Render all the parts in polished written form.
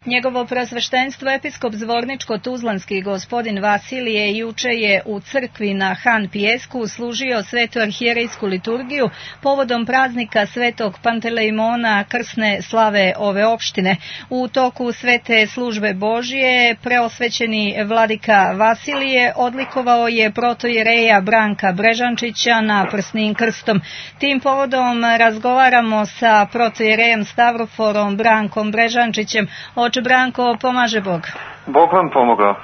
Njegovo preosveštenstvo episkop Zvorničko-Tuzlanski gospodin Vasilije juče je u crkvi na Han Pijesku služio svetu arhijerejsku liturgiju povodom praznika svetog Pantelejmona krsne slave ove opštine. U toku svete službe Božije preosvećeni vladika Vasilije odlikovao je protoijereja Branka Brežančića naprsnim krstom. Tim povodom razgovaramo sa protoijerejem Stavroforom Brankom Brežančićem. Oče Branko, pomaže Bog. Bog vam pomogao.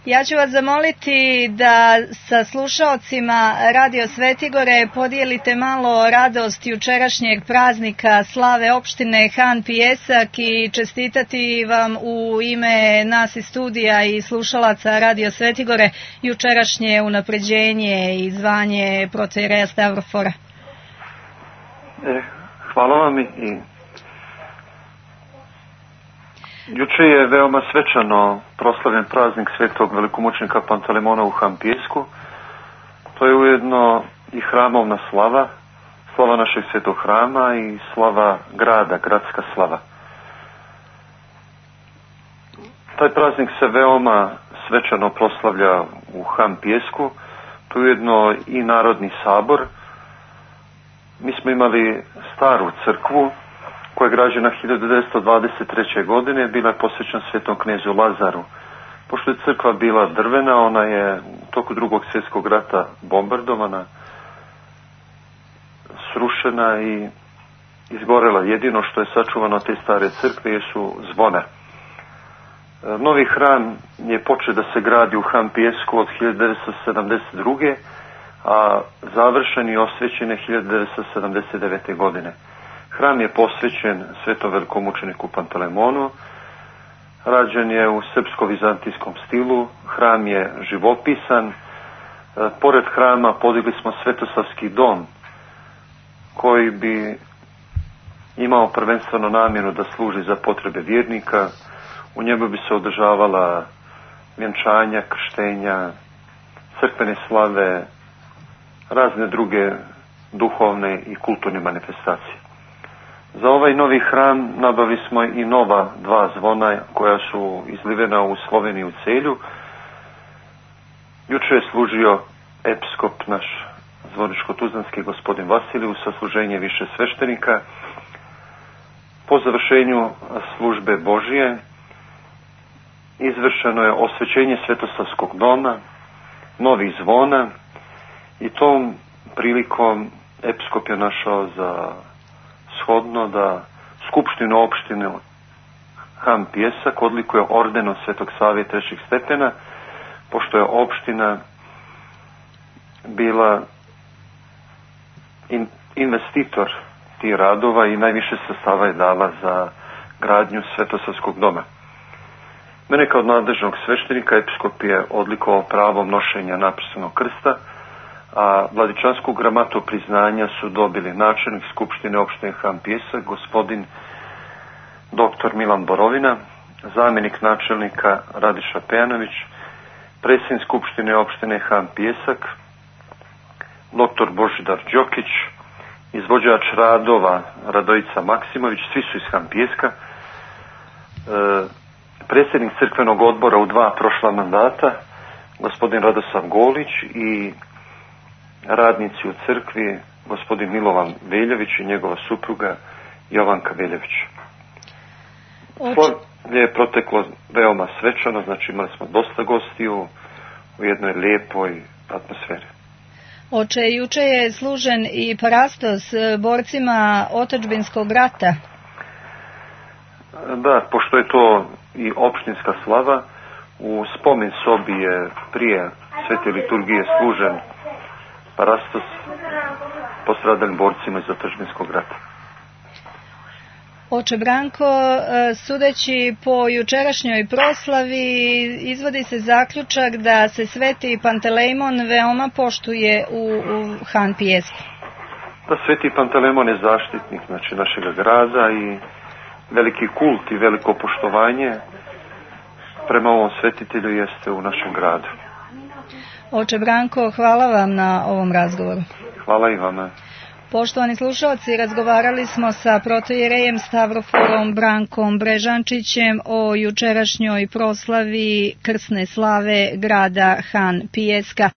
Ja ću vas zamoliti da sa slušaocima Radio Svetigore podijelite malo radost jučerašnjeg praznika slave opštine Han Pijesak i čestitati vam u ime nas iz studija i slušalaca Radio Svetigore jučerašnje unapređenje i zvanje protoijereja Stavrofora. Hvala vam i juče je veoma svečano proslavljen praznik svetog velikomučenika Pantelemona u Han Pijesku. To je ujedno i hramovna slava, slava našeg svetog hrama i slava grada, gradska slava. Taj praznik se veoma svečano proslavlja u Han Pijesku, to je ujedno i Narodni sabor. Mi smo imali staru crkvu koja je građena 1923. godine, bila je posvećena svetom knezu Lazaru. Pošto je crkva bila drvena, ona je u toku Drugog svjetskog rata bombardovana, srušena i izgorela. Jedino što je sačuvano od te stare crkve jesu zvona. Novi hram je počeo da se gradi u Han Pijesku od 1972. a završen i osvećen je 1979. godine. Hram je posvećen svetom velikomučeniku Pantelemonu, rađen je u srpsko-vizantijskom stilu, hram je živopisan. Pored hrama podigli smo Svetosavski dom, koji bi imao prvenstveno namjenu da služi za potrebe vjernika. U njemu bi se održavala vjenčanja, krštenja, crkvene slave, razne druge duhovne i kulturne manifestacije. Za ovaj novi hram nabavili smo i nova dva zvona koja su izlivena u Sloveniji u Celju. Juče je služio episkop naš Zvorničko-Tuzlanski gospodin Vasilije sa služenje više sveštenika. Po završenju službe Božije izvršeno je osvećenje Svetosavskog doma, novih zvona i tom prilikom episkop je našao za shodno da Skupštinu opštine Han Pijesak odlikuje ordenom Svetog Save trećeg stepena, pošto je opština bila investitor tih radova i najviše sredstava je dala za gradnju Svetosavskog doma. Mene kao nadležnog sveštenika episkop je odlikovao pravom nošenja napisanog krsta, a vladičansku gramatu priznanja su dobili načelnik Skupštine opštine Han Pijesak, gospodin dr. Milan Borovina, zamjenik načelnika Radiša Pejanović, predsjednik Skupštine opštine Han Pijesak, dr. Božidar Đokić, izvođač radova Radojica Maksimović, svi su iz Han Pijeska, predsjednik crkvenog odbora u dva prošla mandata, gospodin Radosav Golić i radnici u crkvi, gospodin Milovan Veljević i njegova supruga Jovanka Veljević. Slavlje je proteklo veoma svečano, znači imali smo dosta gostiju u jednoj lijepoj atmosferi. Oče, juče je služen i parastos borcima otadžbinskog rata. Da, pošto je to i opštinska slava, u spomen sobi je prije svete liturgije služen parastos postradalim borcima iz otadžbinskog rata. Oče Branko, sudeći po jučerašnjoj proslavi, izvodi se zaključak da se sveti Pantelejmon veoma poštuje u Han Pijesku. Da, sveti Pantelejmon je zaštitnik znači našeg grada i veliki kult i veliko poštovanje prema ovom svetitelju jeste u našem gradu. Oče Branko, hvala vam na ovom razgovoru. Hvala i vama. Poštovani slušalci, razgovarali smo sa protoijerejem Stavrofolom Brankom Brežančićem o jučerašnjoj proslavi krsne slave grada Han Pijeska.